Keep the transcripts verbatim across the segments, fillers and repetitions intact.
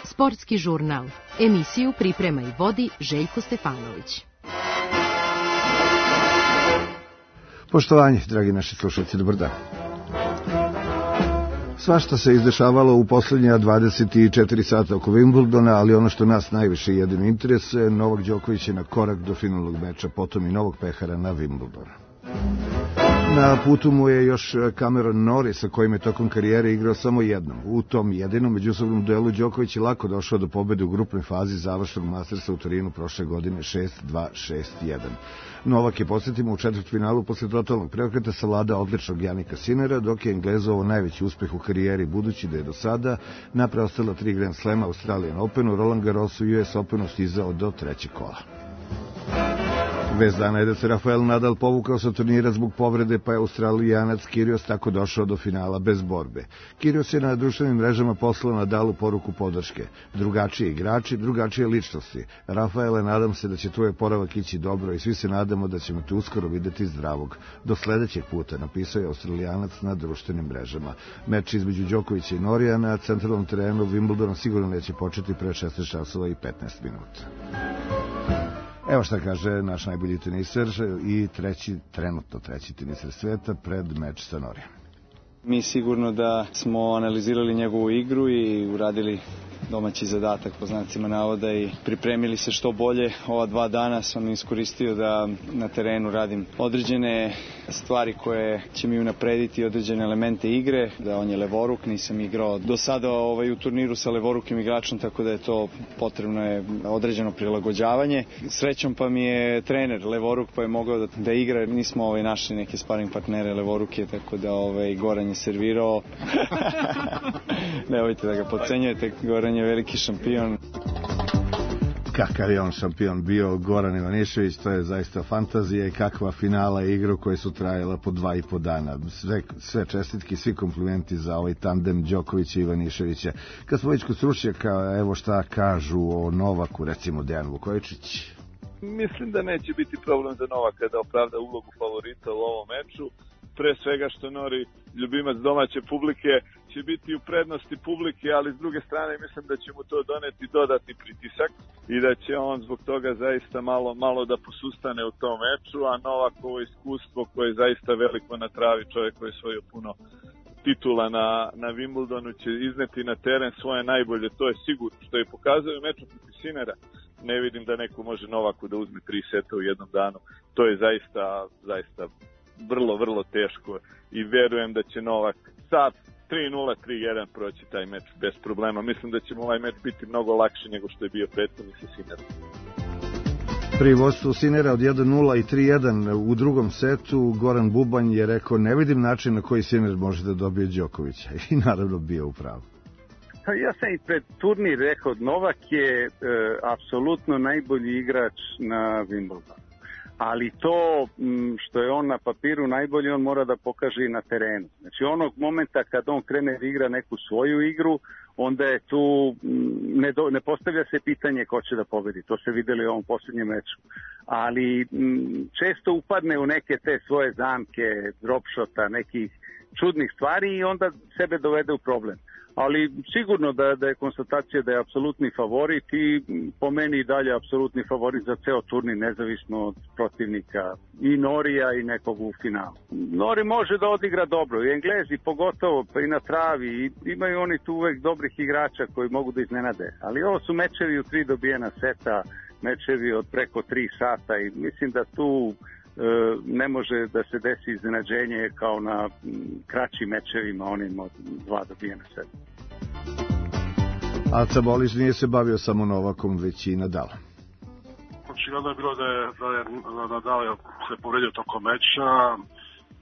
Sportski žurnal. Emisiju priprema i vodi Željko Stefanović. Poštovanje, dragi naši slušalci, dobar dan. Svašta se izdešavalo u posljednja dvadeset četiri sata oko Wimbledona, ali ono što nas najviše jedino interesuje, Novak Đoković je na korak do finalnog meča, potom i novog pehara na Wimbledonu. Na putu mu je još Cameron Norris, sa kojim je tokom karijere igrao samo jednom. U tom jedinom međusobnom duelu Đoković je lako došao do pobede u grupnoj fazi završnog Mastersa u Torinu prošle godine šest dva šest jedan. Novak je, podsjetimo, u četvrtfinalu posle totalnog preokreta savladao odličnog Janika Sinera, dok je Englezovo najveći uspeh u karijeri, budući da je do sada na preostala tri Grand Slema Australian Openu, Roland Garrosu i U S Openu stizao do trećeg kola. Vest dana je da se Rafael Nadal povukao sa turnira zbog povrede, pa je Australijanac Kyrgios tako došao do finala bez borbe. Kyrgios je na društvenim mrežama poslao Nadalu poruku podrške. Drugačiji igrači, drugačije ličnosti. Rafaele, nadam se da će tvoj oporavak ići dobro i svi se nadamo da ćemo te uskoro videti zdravog. Do sledećeg puta, napisao je Australijanac na društvenim mrežama. Meč između Đokovića i Norija na centralnom terenu Wimbledona sigurno neće početi pre šesnaest časova i petnaest minuta. Evo šta kaže naš najbolji teniser i treći, trenutno treći teniser sveta pred meč sa Norijem. Mi sigurno da smo analizirali njegovu igru i uradili domaći zadatak po znacima navoda i pripremili se što bolje. Ova dva dana sam iskoristio da na terenu radim određene stvari koje će mi unaprediti određene elemente igre, da on je levoruk, nisam igrao do sada ovaj, u turniru sa levorukim igračom, tako da je to potrebno je određeno prilagođavanje. Srećom pa mi je trener levoruk pa je mogao da, da igra, nismo ovaj, našli neke sparing partnere levoruke, tako da ovaj, Goran je servirao. Nemojte da ga podcenjujete, Goran je veliki šampion. Kakav je on šampion bio, Goran Ivanišević, to je zaista fantazija i kakva finala igru koje su trajala po dva i po dana. Sve, sve čestitki, svi komplimenti za ovaj tandem Đokovića i Ivaniševića. Kad smo već kod stručnjaka, evo šta kažu o Novaku, recimo Dejan Vukojičić. Mislim da neće biti problem za Novaka da opravda ulogu favorita u ovom meču. Pre svega što Nori, ljubimac domaće publike, će biti u prednosti publike, ali s druge strane mislim da će mu to doneti dodatni pritisak i da će on zbog toga zaista malo, malo da posustane u tom meču, a Novakovo iskustvo koje je zaista veliko na travi, čovjek koji je svojio puno titula na, na Wimbledonu, će izneti na teren svoje najbolje, to je sigurno, što je pokazao u meču protiv Sinera. Ne vidim da neko može Novaku da uzme tri seta u jednom danu, to je zaista, zaista vrlo, vrlo teško i verujem da će Novak sa tri nula, tri jedan proći taj meč bez problema. Mislim da će mu ovaj meč biti mnogo lakši nego što je bio prethodni sa Sinerom. Pri vodstvu Sinera od jedan nula i tri jedan u drugom setu Goran Bubanj je rekao ne vidim način na koji Siner može da dobije Đokovića i naravno bio u pravu. Ja sam i pred turnir rekao, Novak je e, apsolutno najbolji igrač na Wimbledonu. Ali to što je on na papiru najbolji, on mora da pokaže i na terenu. Znači onog momenta kad on krene da igra neku svoju igru, onda je tu, ne, do, ne postavlja se pitanje ko će da pobedi. To se videli u ovom posljednjem meču. Ali m, često upadne u neke te svoje zamke, dropshota, nekih čudnih stvari i onda sebe dovede u problem. Ali sigurno da, da je konstatacija da je apsolutni favorit i po meni i dalje apsolutni favorit za ceo turnir, nezavisno od protivnika i Norija i nekog u finalu. Nori može da odigra dobro i Englezi pogotovo, pa i na travi, i imaju oni tu uvek dobrih igrača koji mogu da iznenade. Ali ovo su mečevi u tri dobijena seta, mečevi od preko tri sata i mislim da tu ne može da se desi iznenađenje kao na kraćim mečevima, onim od dva dobijena seta. Aca Bolić nije se bavio samo Novakom, već i Nadalom. Očigledno je bilo da je, da je Nadal se povredio tokom meča.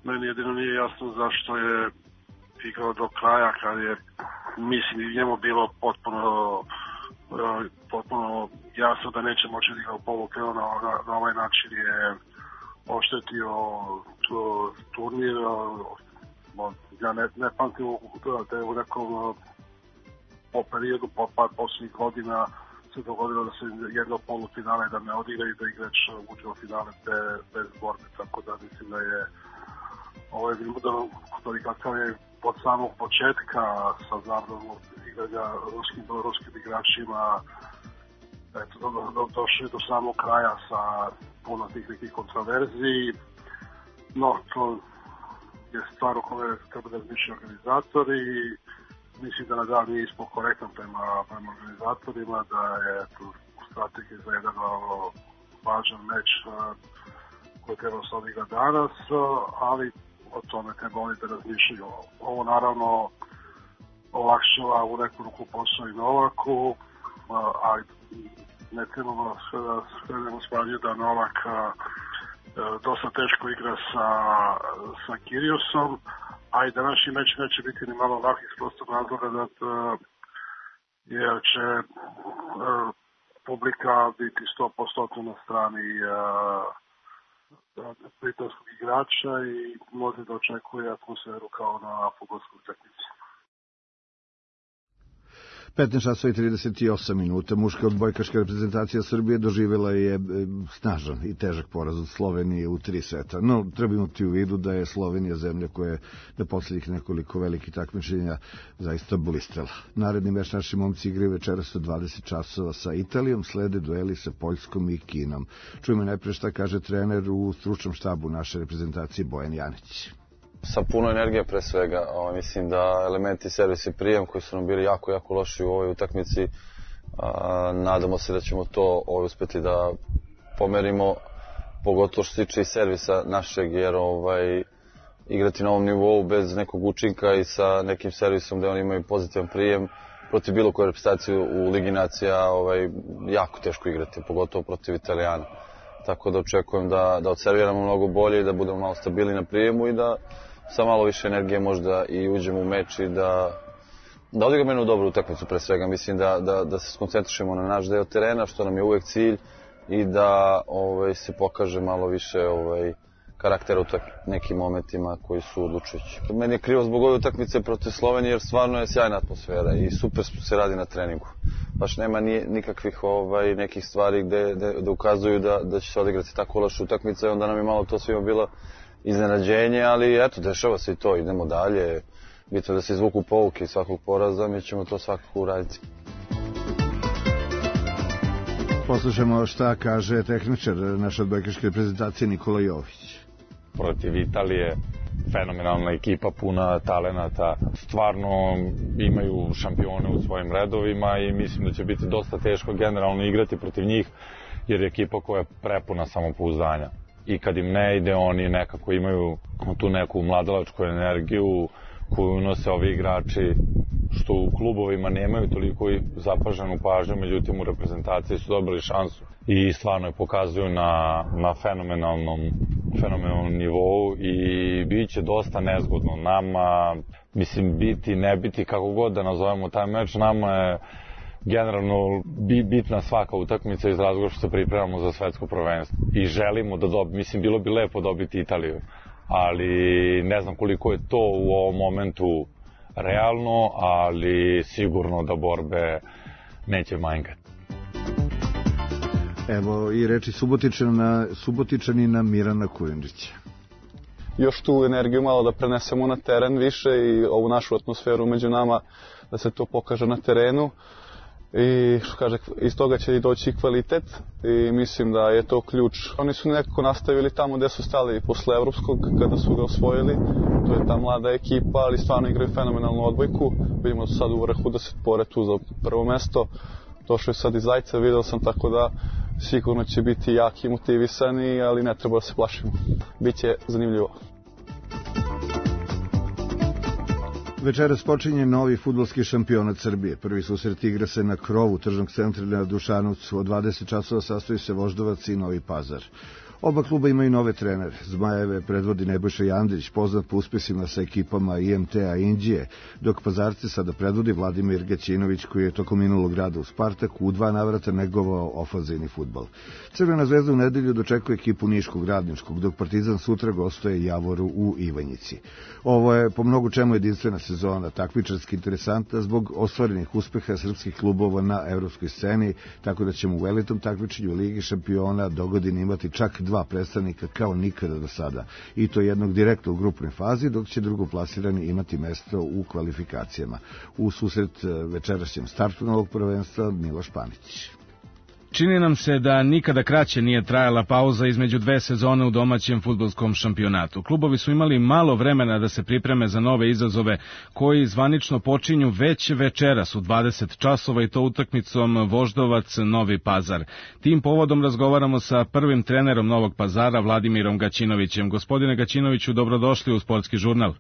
Meni jedino nije jasno zašto je igrao do kraja, kad je, mislim, njemu bilo potpuno potpuno jasno da neće moći da igra u polukrenu. Na, na, na ovaj način je oštetio turnir. Ja ne, ne pamtim da je u nekom po periodu, po par posljednjih godina se dogodilo da se jedno polufinale da ne odigra i da igrač uđe u finale bez, bez borbe, tako da mislim da je ovaj Wimbledon, koji kakav je od samog početka sa zabranom igranja ruskim, ruskim igračima, eto, do, do, došli do samog kraja sa puno tih nekih kontroverziji, no to je stvar o kojoj treba da razmišljaju organizatori i mislim da Nadal nije ispod korektan prema, prema organizatorima, da je tu strategija za jedan važan meč koji treba se odigra danas, ali o tome treba oni da razmišljaju. Ovo naravno olakšava u neku ruku posao i Novaku, ali ne trebamo sve da skrenemo s pažnje da Novak dosta teško igra sa, sa Kyrgiosom, a i današnji meč neće biti ni malo lak iz prostog razloga da jer će uh, publika biti sto posto na strani uh, britanskog igrača i može da očekuje atmosferu kao na fudbalskoj utakmici. petnaest časova i trideset osam minuta. Muška odbojkaška reprezentacija Srbije doživjela je snažan i težak poraz od Slovenije u tri seta. No, treba imati u vidu da je Slovenija zemlja koja je na posljednjih nekoliko velikih takmičenja zaista blistrala. Naredni meč naši momci igraju večeras od dvadeset časova sa Italijom, slede dueli sa Poljskom i Kinom. Čujemo najpre šta kaže trener u stručnom štabu naše reprezentacije Bojan Janić. Sa puno energije pre svega, o, mislim da elementi servis i prijem koji su nam bili jako, jako loši u ovoj utakmici, a, nadamo se da ćemo to ovaj, uspeti da pomerimo, pogotovo što se tiče i servisa našeg, jer ovaj, igrati na ovom nivou bez nekog učinka i sa nekim servisom gde oni imaju pozitivan prijem, protiv bilo koje reprezentacije u Ligi nacija ovaj, jako teško igrati, pogotovo protiv Italijana. Tako da očekujem da, da odserviramo mnogo bolje i da budemo malo stabilni na prijemu i da sa malo više energije možda i uđemo u meč i da, da odigramo jednu dobru utakmicu pre svega. Mislim da, da, da se skoncentrišemo na naš deo terena, što nam je uvek cilj, i da ovaj, se pokaže malo više ovaj, karaktera u nekim momentima koji su odlučujući. Meni je krivo zbog ove utakmice protiv Slovenije jer stvarno je sjajna atmosfera i super se radi na treningu. Baš nema ni, nikakvih ovaj, nekih stvari gde, gde, gde ukazuju da, da će se odigrati tako loša utakmica i onda nam je malo to svima bilo iznenađenje, ali eto, dešava se i to, idemo dalje. Bitno da se izvuku pouke iz svakog poraza, mi ćemo to svakako uraditi. Poslušamo šta kaže tehničar naše odbojkaške reprezentacije Nikola Jović. Protiv Italije, fenomenalna ekipa, puna talenata, stvarno imaju šampione u svojim redovima i mislim da će biti dosta teško generalno igrati protiv njih, jer je ekipa koja je prepuna samopouzdanja. I kad im ne ide, oni nekako imaju tu neku mladalačku energiju koju unose ovi igrači, što u klubovima nemaju toliko zapaženu pažnju, međutim u reprezentaciji su dobili šansu i stvarno je pokazuju na, na fenomenalnom, fenomenalnom nivou i bit će dosta nezgodno nama, mislim biti, ne biti, kako god da nazovemo taj meč, nama je generalno bitna svaka utakmica iz razloga što se pripremamo za svetsko prvenstvo i želimo da dobiti, mislim bilo bi lepo dobiti Italiju, ali ne znam koliko je to u ovom momentu realno, ali sigurno da borbe neće manjkati. Evo i reči Subotičana, Subotičanina Mirana Kujundžića. Još tu energiju malo da prenesemo na teren više i ovu našu atmosferu među nama, da se to pokaže na terenu. I što kaže, iz toga će i doći kvalitet i mislim da je to ključ. Oni su nekako nastavili tamo gde su stali posle evropskog kada su ga osvojili. To je ta mlada ekipa, ali stvarno igraju fenomenalnu odbojku. Vidimo da su sad u vrhu, da se bore tu za prvo mesto. Došao je sad iz Zajca, vidio sam, tako da sigurno će biti jaki i motivisani, ali ne treba da se plašimo. Biće zanimljivo. Večeras počinje novi fudbalski šampionat Srbije. Prvi susret igra se na krovu tržnog centra na Dušanovcu. Od dvadeset časova sastoji se Voždovac i Novi Pazar. Oba kluba imaju nove trenere. Zmajeve predvodi Nebojša Jandrić, poznat po uspesima sa ekipama I M T-a Indije, dok Pazarce sada predvodi Vladimir Gaćinović, koji je tokom minulog rada u Spartaku u dva navrata negovao ofanzivni fudbal. Crvena zvezda u nedelju dočekuje ekipu Niškog Radničkog, dok Partizan sutra gostuje Javoru u Ivanjici. Ovo je po mnogo čemu jedinstvena sezona, takmičarski interesantna zbog ostvarenih uspeha srpskih klubova na evropskoj sceni, tako da ćemo u velitom takmičenju Ligi šampiona dogodine imati čak dva dva predstavnika kao nikada do sada, i to jednog direktno u grupnoj fazi, dok će drugoplasirani imati mesto u kvalifikacijama. U susret večerašnjem startu novog prvenstva Miloš Panić. Čini nam se da nikada kraće nije trajala pauza između dve sezone u domaćem fudbalskom šampionatu. Klubovi su imali malo vremena da se pripreme za nove izazove koji zvanično počinju već večeras u dvadeset časova i to utakmicom Voždovac Novi Pazar. Tim povodom razgovaramo sa prvim trenerom Novog Pazara, Vladimirom Gaćinovićem. Gospodine Gaćinoviću, dobrodošli u Sportski žurnal.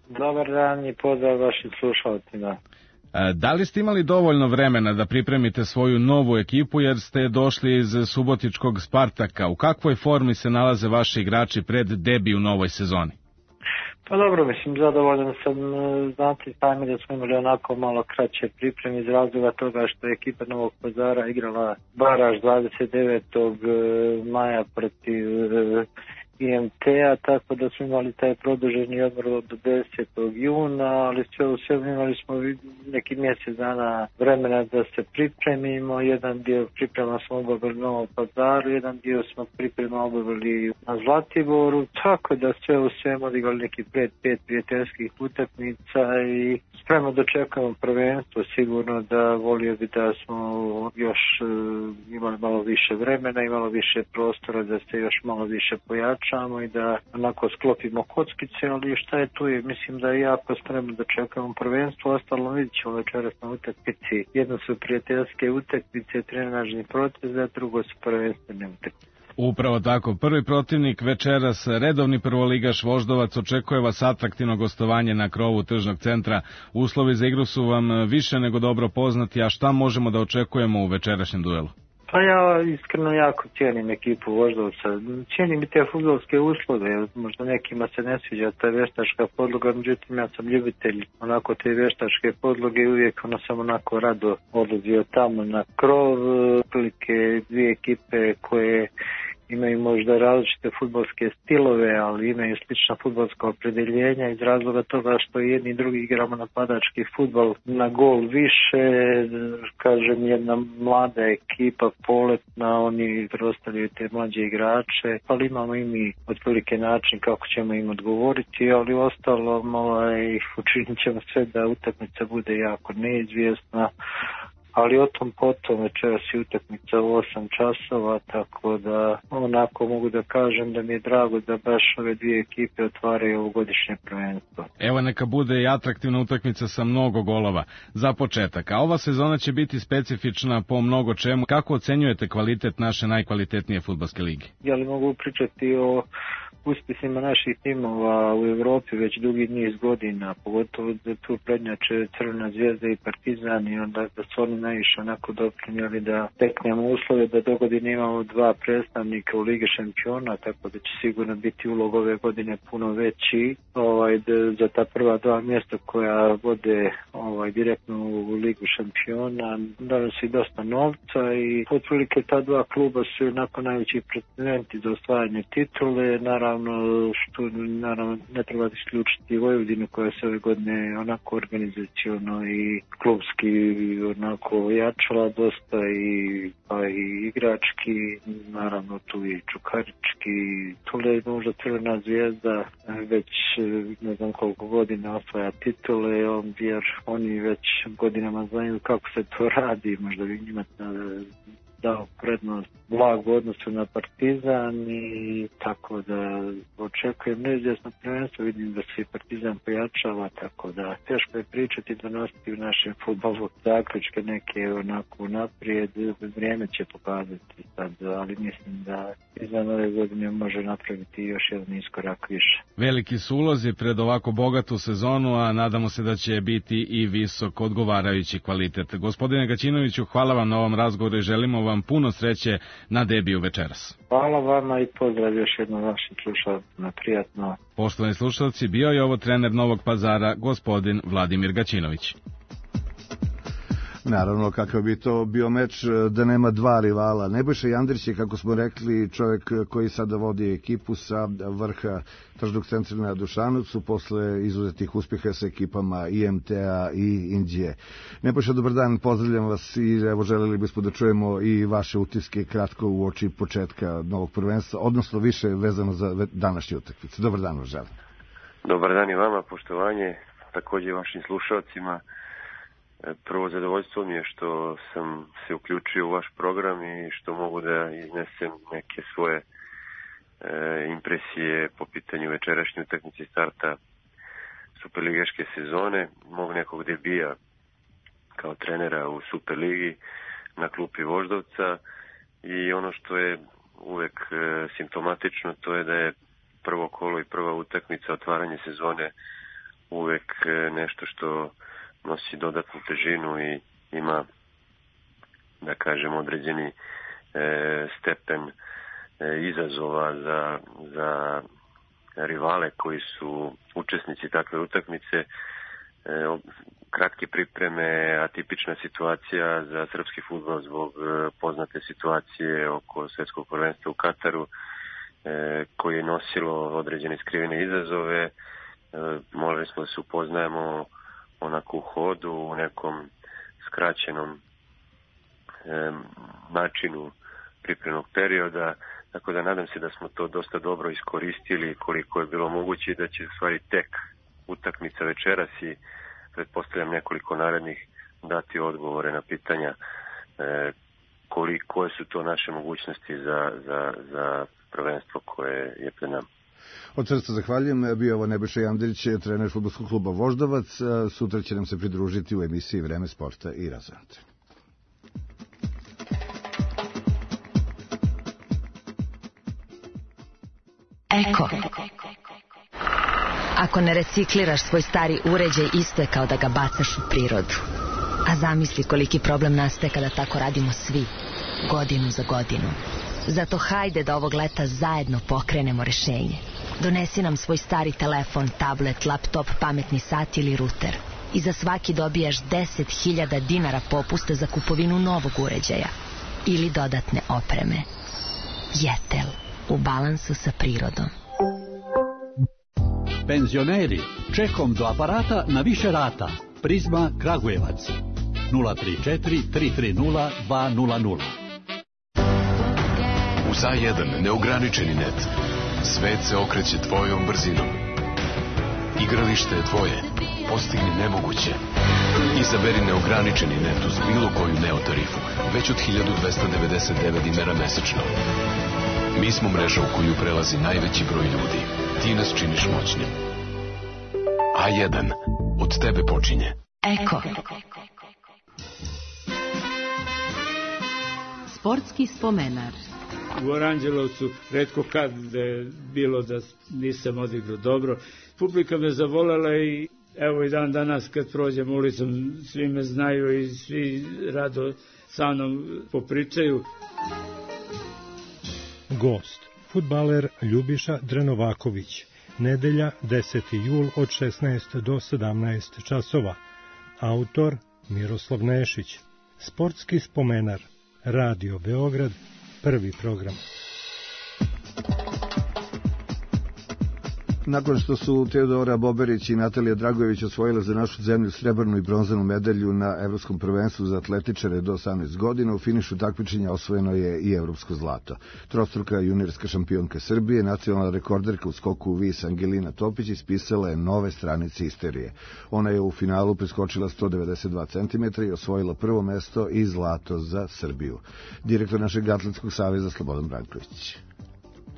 Dobar dan i pozdrav vašim slušalcima. Da li ste imali dovoljno vremena da pripremite svoju novu ekipu jer ste došli iz subotičkog Spartaka? U kakvoj formi se nalaze vaši igrači pred debi u novoj sezoni? Pa dobro, mislim, zadovoljan sam. Znate sami da smo imali onako malo kraće pripreme iz razloga toga što je ekipa Novog Pazara igrala baraž dvadeset devetog maja protiv I M T-a, tako da smo imali taj produženi odmor do desetog juna, ali sve u svemu imali smo neki mjesec dana vremena da se pripremimo. Jedan dio priprema smo obavili u Novom Pazaru, jedan dio smo priprema obavili na Zlatiboru, tako da sve u svemu odigrali neki pred pet prijateljskih utakmica i spremno dočekujemo prvenstvo. Sigurno da volio bi da smo još imali malo više vremena i malo više prostora da se još malo više pojačamo i da onako sklopimo kockice, ali šta je tu je, mislim da je jako spremno da čekamo prvenstvo. Ostalo vidit ćemo večeras na utakmici. Jedno su prijateljske utakmice, trenažni protez, a drugo su prvenstvene utakmice. Upravo tako. Prvi protivnik večeras, redovni prvoligaš Voždovac, očekuje vas atraktivno gostovanje na krovu tržnog centra. Uslovi za igru su vam više nego dobro poznati, a šta možemo da očekujemo u večerašnjem duelu? Pa ja iskreno jako cijenim ekipu Voždovca. Cijenim i te fudbalske uslove. Možda nekima se ne sviđa ta veštačka podloga, međutim ja sam ljubitelj onako te veštačke podloge i uvijek ono sam onako rado odlazio tamo na krov. Prilike dvije ekipe koje imaju možda različite fudbalske stilove, ali imaju slična fudbalska opredjeljenja iz razloga toga što jedni i drugi igramo napadački fudbal na gol više. Kažem, jedna mlada ekipa, poletna, oni preostavljaju te mlađe igrače, ali imamo i mi otprilike način kako ćemo im odgovoriti, ali ostalo ovaj, učinit ćemo sve da utakmica bude jako neizvjesna. Ali o tom potom večeras je utakmica u osam časova, tako da onako mogu da kažem da mi je drago da baš ove dvije ekipe otvaraju ovogodišnje prvenstvo. Evo neka bude i atraktivna utakmica sa mnogo golova. Za početak, a ova sezona će biti specifična po mnogo čemu. Kako ocenjujete kvalitet naše najkvalitetnije fudbalske lige? Ja li mogu pričati o uspjesima naših timova u Evropi već dugi niz godina, pogotovo da tu prednjače Crvena zvijezda i Partizan i onda da su oni najviše onako doprinijeli da teknemo uslove da do godine imamo dva predstavnika u Ligi šampiona, tako da će sigurno biti ulog ove godine puno veći ovaj, da, za ta prva dva mjesta koja vode ovaj, direktno u Ligu šampiona. Donosi dosta novca i otprilike ta dva kluba su onako najveći pretendenti za osvajanje titule. Naravno, što naravno ne treba isključiti Vojvodinu koja se ove godine onako organizaciono i klubski onako jačala dosta i, pa i igrački, naravno tu i Čukarički, tu je možda Crvena zvijezda već ne znam koliko godina osvaja titule, jer oni već godinama znaju kako se to radi, možda bi njima dao prednost blagu odnosu na Partizan i tako da očekujem neizvjesno prvenstvo, vidim da se i Partizan pojačava, tako da teško je pričati, donositi u našem fudbalu zaključke neke onako naprijed, vrijeme će pokazati sad, ali mislim da izvan ove godine može napraviti još jedan iskorak više. Veliki su ulozi pred ovako bogatu sezonu, a nadamo se da će biti i visok odgovarajući kvalitet. Gospodine Gaćinoviću, hvala vam na ovom razgovoru i želimo vam puno sreće na debiju večeras. Hvala vama i pozdrav još jednom vašim slušalcima, prijatno. Poštovani slušalci, bio je ovo trener Novog Pazara, gospodin Vladimir Gaćinović. Naravno, kakav bi to bio meč da nema dva rivala. Nebojša Jandrić je, kako smo rekli, čovjek koji sada vodi ekipu sa vrha tržnog centra na Dušanovcu posle izuzetih uspjeha sa ekipama I M T-a i Indije. Nebojša, dobar dan, pozdravljam vas i evo želeli bismo da čujemo i vaše utiske kratko u oči početka novog prvenstva, odnosno više vezano za današnje utakmice. Dobar dan, vas želim. Dobar dan i vama, poštovanje, također vašim slušalcima. Prvo zadovoljstvo mi je što sam se uključio u vaš program i što mogu da iznesem neke svoje e, impresije po pitanju večerašnje utakmice starta superligaške sezone, mog nekog debija kao trenera u Superligi na klupi Voždovca. I ono što je uvek e, simptomatično, to je da je prvo kolo i prva utakmica, otvaranje sezone, uvek e, nešto što nosi dodatnu težinu i ima, da kažem, određeni e, stepen e, izazova za, za rivale koji su učesnici takve utakmice. E, kratke pripreme, atipična situacija za srpski fudbal zbog e, poznate situacije oko svetskog prvenstva u Kataru, e, koje je nosilo određene skrivene izazove. E, morali smo da se upoznajemo onako u hodu, u nekom skraćenom e, načinu pripremnog perioda, tako da nadam se da smo to dosta dobro iskoristili koliko je bilo moguće i da će stvari tek utakmica večeras i pretpostavljam nekoliko narednih dati odgovore na pitanja e, koliko, koje su to naše mogućnosti za, za, za prvenstvo koje je pred nama. Od srca zahvaljujem, bio ovo Nebojša Jandrić, trener fudbalskog kluba Voždovac. Sutra će nam se pridružiti u emisiji Vreme sporta i razonte. Eko. Ako ne recikliraš svoj stari uređaj, isto je kao da ga bacaš u prirodu. A zamisli koliki problem nastaje kada tako radimo svi, godinu za godinu. Zato hajde da ovog leta zajedno pokrenemo rešenje. Donesi nam svoj stari telefon, tablet, laptop, pametni sat ili ruter. I za svaki dobijaš deset hiljada dinara popusta za kupovinu novog uređaja ili dodatne opreme. Jetel, u balansu sa prirodom. Penzioneri, čekom do aparata na više rata. Prizma Kragujevac. nula tri četiri tri tri nula dva nula nula. Uz A jedan neograničeni net. Svet se okreće tvojom brzinom. Igralište je tvoje. Postigni nemoguće. Izaberi neograničeni net uz bilo koju Neo tarifu. Već od hiljadu dvesta devedeset devet dinara mesečno. Mi smo mreža u koju prelazi najveći broj ljudi. Ti nas činiš moćnim. A jedan. Od tebe počinje. Eko. Sportski spomenar. U Aranđelovcu retko kad je bilo da nisam odigrao dobro. Publika me zavolela i evo i dan danas kad prođem ulicom svi me znaju i svi rado sa mnom popričaju. Gost, fudbaler Ljubiša Drenovaković. Nedelja deseti jul od šesnaest do sedamnaest časova. Autor Miroslav Nešić. Sportski spomenar. Radio Beograd. Prvi program. Nakon što su Teodora Boberić i Natalija Dragojević osvojile za našu zemlju srebrnu i bronzanu medalju na Evropskom prvenstvu za atletičare do osamnaest godina, u finišu takmičenja osvojeno je i evropsko zlato. Trostruka juniorska šampionka Srbije, nacionalna rekorderka u skoku u vis Angelina Topić ispisala je nove stranice istorije. Ona je u finalu preskočila sto devedeset dva centimetra i osvojila prvo mesto i zlato za Srbiju. Direktor našeg atletskog saveza Slobodan Branković.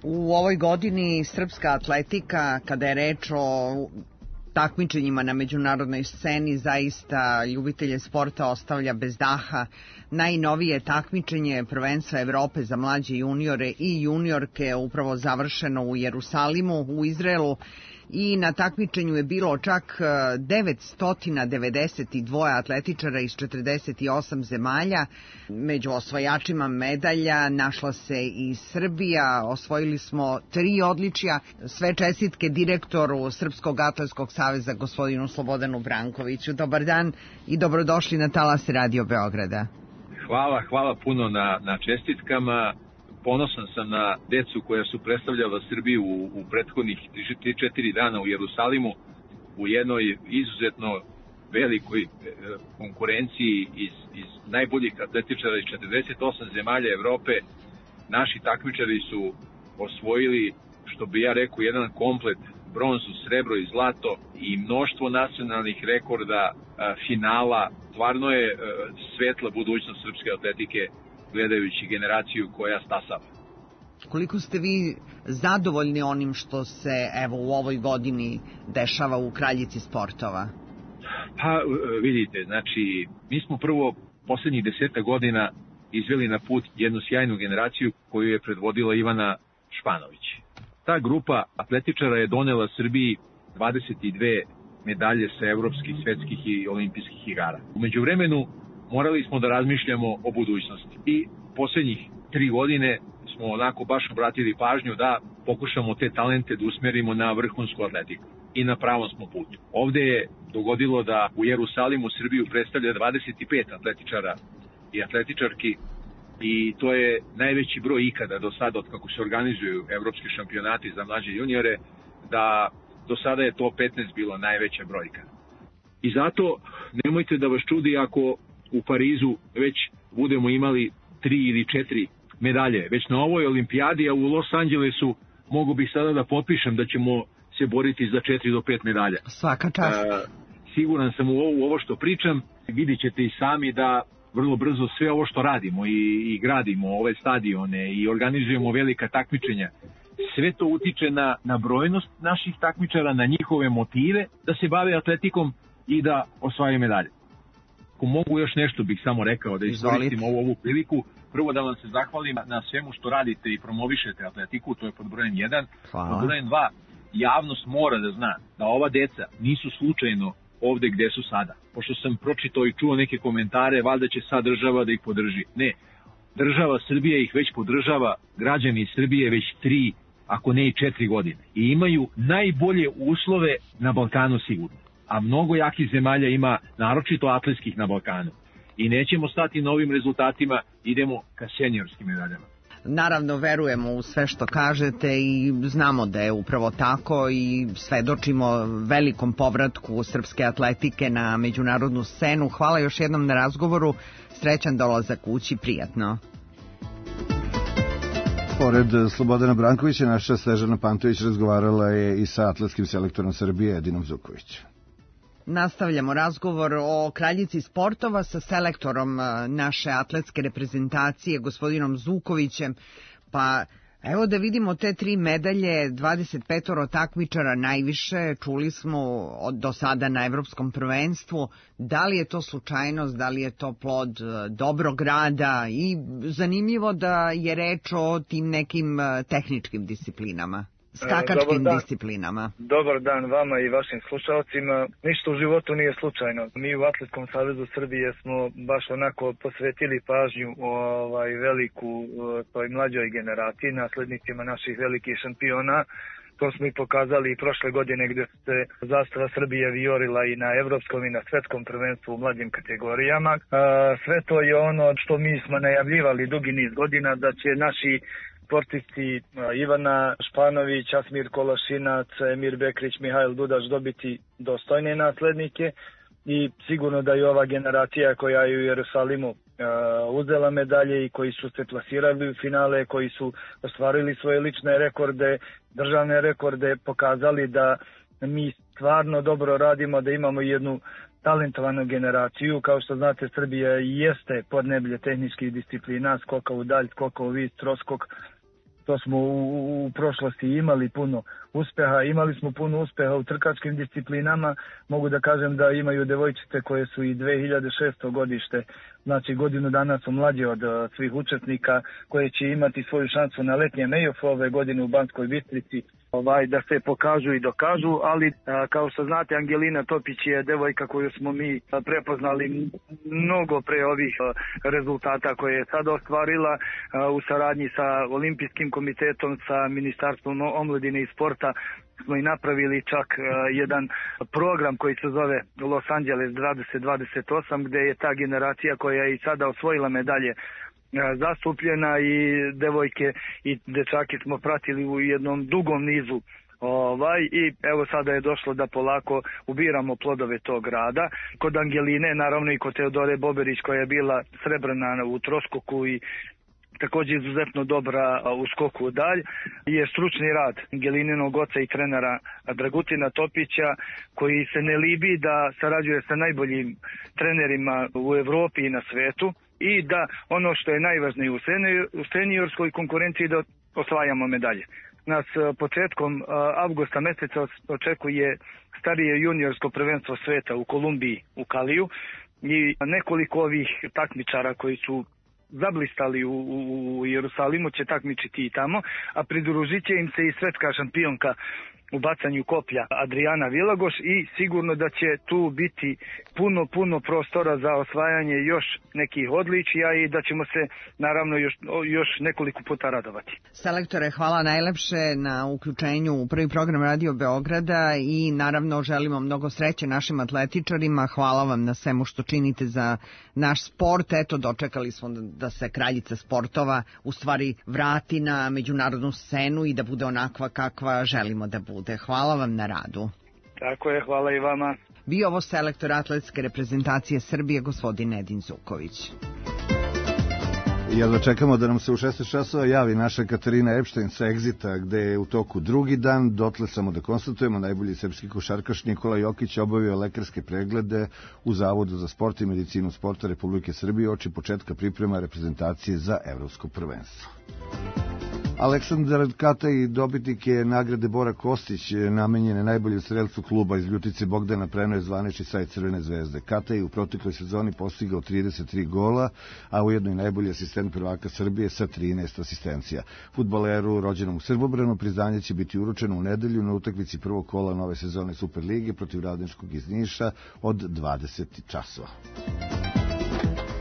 U ovoj godini srpska atletika, kada je reč o takmičenjima na međunarodnoj sceni, zaista ljubitelje sporta ostavlja bez daha. Najnovije takmičenje prvenstva Evrope za mlađe juniore i juniorke upravo završeno u Jerusalimu, u Izraelu, i na takmičenju je bilo čak devetsto devedeset dva atletičara iz četrdeset osam zemalja. Među osvajačima medalja našla se i Srbija, osvojili smo tri odličja. Sve čestitke direktoru Srpskog atletskog saveza saveza, gospodinu Slobodanu Brankoviću. Dobar dan i dobrodošli na Talas Radio Beograda. Hvala, hvala puno na, na čestitkama. Ponosan sam na decu koja su predstavljala Srbiju u, u prethodnih tri četiri dana u Jerusalimu u jednoj izuzetno velikoj e, konkurenciji iz, iz najboljih atletičara iz četrdeset osam zemalja Evrope. Naši takmičari su osvojili, što bi ja rekao, jedan komplet, bronzu, srebro i zlato i mnoštvo nacionalnih rekorda, a, finala. Stvarno je a, svetla budućnost srpske atletike gledajući generaciju koja stasava. Koliko ste vi zadovoljni onim što se evo u ovoj godini dešava u Kraljici sportova? Pa vidite, znači mi smo prvo poslednjih deseta godina izveli na put jednu sjajnu generaciju koju je predvodila Ivana Španović. Ta grupa atletičara je donela Srbiji dvadeset dve medalje sa evropskih, svetskih i olimpijskih igara. U međuvremenu morali smo da razmišljamo o budućnosti i poslednjih tri godine smo onako baš obratili pažnju da pokušamo te talente da usmerimo na vrhunsku atletiku i na pravom smo putu. Ovde je dogodilo da u Jerusalimu Srbiju predstavlja dvadeset pet atletičara i atletičarki i to je najveći broj ikada do sada od kako se organizuju evropski šampionati za mlađe juniore, da do sada je to petnaest bilo najveća brojka. I zato nemojte da vas čudi ako u Parizu već budemo imali tri ili četiri medalje. Već na ovoj olimpijadi, a u Los Angelesu mogu bih sada da potpišem da ćemo se boriti za četiri do pet medalja. Svaka čast. E, siguran sam u ovo, u ovo što pričam. Vidit ćete i sami da vrlo brzo sve ovo što radimo i, i gradimo ove stadione i organizujemo velika takmičenja. Sve to utiče na, na brojnost naših takmičara, na njihove motive da se bave atletikom i da osvajaju medalje. Ako mogu još nešto bih samo rekao, da iskoristim ovu, ovu priliku. Prvo da vam se zahvalim na svemu što radite i promovišete atletiku, to je pod brojem jedan. Hvala. Pod brojem dva, javnost mora da zna da ova deca nisu slučajno ovde gde su sada. Pošto sam pročitao i čuo neke komentare, valjda će sad država da ih podrži. Ne, država Srbija ih već podržava, građani Srbije već tri, ako ne i četiri godine. I imaju najbolje uslove na Balkanu sigurno. A mnogo jakih zemalja ima, naročito atletskih na Balkanu. I nećemo stati na ovim rezultatima, idemo ka seniorskim medaljama. Naravno, verujemo u sve što kažete i znamo da je upravo tako i svedočimo velikom povratku srpske atletike na međunarodnu scenu. Hvala još jednom na razgovoru, srećan dolazak kući, prijatno. Pored Slobodana Brankovića, naša Snežana Pantović razgovarala je i sa atletskim selektorom Srbije Edinom Zukovićem. Nastavljamo razgovor o Kraljici sportova sa selektorom naše atletske reprezentacije, gospodinom Zukovićem. Pa evo da vidimo te tri medalje, dvadeset pet takmičara najviše, čuli smo od do sada na evropskom prvenstvu. Da li je to slučajnost, da li je to plod dobrog rada i zanimljivo da je reč o tim nekim tehničkim disciplinama? Skakačkim Dobar disciplinama. Dobar dan vama i vašim slušalcima. Ništa u životu nije slučajno. Mi u Atletskom savezu Srbije smo baš onako posvetili pažnju ovaj, veliku toj mlađoj generaciji, naslednicima naših velikih šampiona. To smo i pokazali i prošle godine gdje se zastava Srbije vijorila i na evropskom i na svetskom prvenstvu u mlađim kategorijama. Sve to je ono što mi smo najavljivali dugi niz godina da će naši sportisti Ivana Španović, Asmir Kolašinac, Emir Bekrić, Mihajl Dudaš dobiti dostojne naslednike i sigurno da je ova generacija koja je u Jerusalimu uh, uzela medalje i koji su se plasirali u finale, koji su ostvarili svoje lične rekorde, državne rekorde, pokazali da mi stvarno dobro radimo, da imamo jednu talentovanu generaciju. Kao što znate, Srbija jeste podneblje tehničkih disciplina, skoka u dalj, skoka u vis, troskok. To smo u, u prošlosti imali puno uspeha, imali smo puno uspeha u trkačkim disciplinama. Mogu da kažem da imaju devojčice koje su i dve hiljade šesto godište, znači godinu dana su mlađe od uh, svih učesnika, koje će imati svoju šansu na letnjem E-ofu ove godine u Banskoj Bistrici, ovaj, da se pokažu i dokažu, ali a, kao što znate, Angelina Topić je devojka koju smo mi a, prepoznali mnogo pre ovih a, rezultata koje je sada ostvarila a, u saradnji sa olimpijskim komitetom, sa Ministarstvom omladine i sporta smo i napravili čak uh, jedan program koji se zove Los Angeles dvadeset dvadeset osam, gde je ta generacija koja je i sada osvojila medalje uh, zastupljena i devojke i dečake smo pratili u jednom dugom nizu. Ovaj, i evo sada je došlo da polako ubiramo plodove tog rada. Kod Angeline, naravno i kod Teodore Boberić koja je bila srebrna u troskoku i također izuzetno dobra u skoku dalj, je stručni rad Angelininog oca i trenera Dragutina Topića, koji se ne libi da sarađuje sa najboljim trenerima u Evropi i na svetu i da ono što je najvažnije u seniorskoj konkurenciji da osvajamo medalje. Nas početkom avgusta meseca očekuje starije juniorsko prvenstvo sveta u Kolumbiji, u Kaliju, i nekoliko ovih takmičara koji su zablistali u, u Jerusalimu će takmičiti i tamo, a pridružit će im se i svetska šampionka u bacanju koplja Adriana Vilagoš i sigurno da će tu biti puno, puno prostora za osvajanje još nekih odličija i da ćemo se naravno još, još nekoliko puta radovati. Selektore, hvala najlepše na uključenju u prvi program Radio Beograda i naravno želimo mnogo sreće našim atletičarima. Hvala vam na svemu što činite za naš sport. Eto, dočekali smo da se kraljica sportova u stvari vrati na međunarodnu scenu i da bude onakva kakva želimo da bude. Hvala vam na radu. Tako je, hvala i vama. Bio ovo selektor atletske reprezentacije Srbije, gospodin Edin Zuković. Jel da čekamo da nam se u šesnaest časova javi naša Katarina Epštajn sa Exita, gde je u toku drugi dan. Dotle samo da konstatujemo, najbolji srpski košarkaš Nikola Jokić obavio lekarske preglede u Zavodu za sport i medicinu sporta Republike Srbije oči početka priprema reprezentacije za evropsko prvenstvo. Aleksandar Kataj, dobitnik je nagrade Bora Kostić, namenjene najboljem strelcu kluba iz Ljutice Bogdana, preno je zvanični sajt Crvene zvezde. Kataj u protekloj sezoni postigao trideset tri gola, a ujedno i najbolji asistent prvaka Srbije sa trinaest asistencija. Fudbaleru rođenom u Srbobranu priznanje će biti uručeno u nedelju na utakmici prvog kola nove sezone Superlige protiv Radničkog iz Niša od dvadeset časova.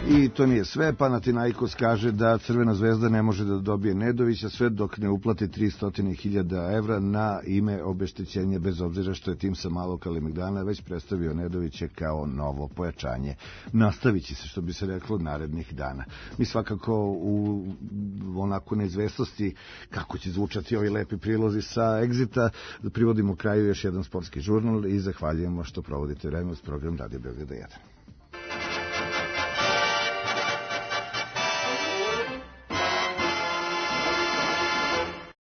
I to nije sve, Panathinaikos kaže da Crvena zvezda ne može da dobije Nedovića sve dok ne uplati tristo hiljada evra na ime obeštećenja, bez obzira što je tim sa Malog Kalemegdana već predstavio Nedovića kao novo pojačanje. Nastavit će se, što bi se reklo, narednih dana. Mi svakako u onako neizvestnosti kako će zvučati ovi lepi prilozi sa Exita privodimo kraju još jedan sportski žurnal i zahvaljujemo što provodite vreme uz program Radio Beograda jedan.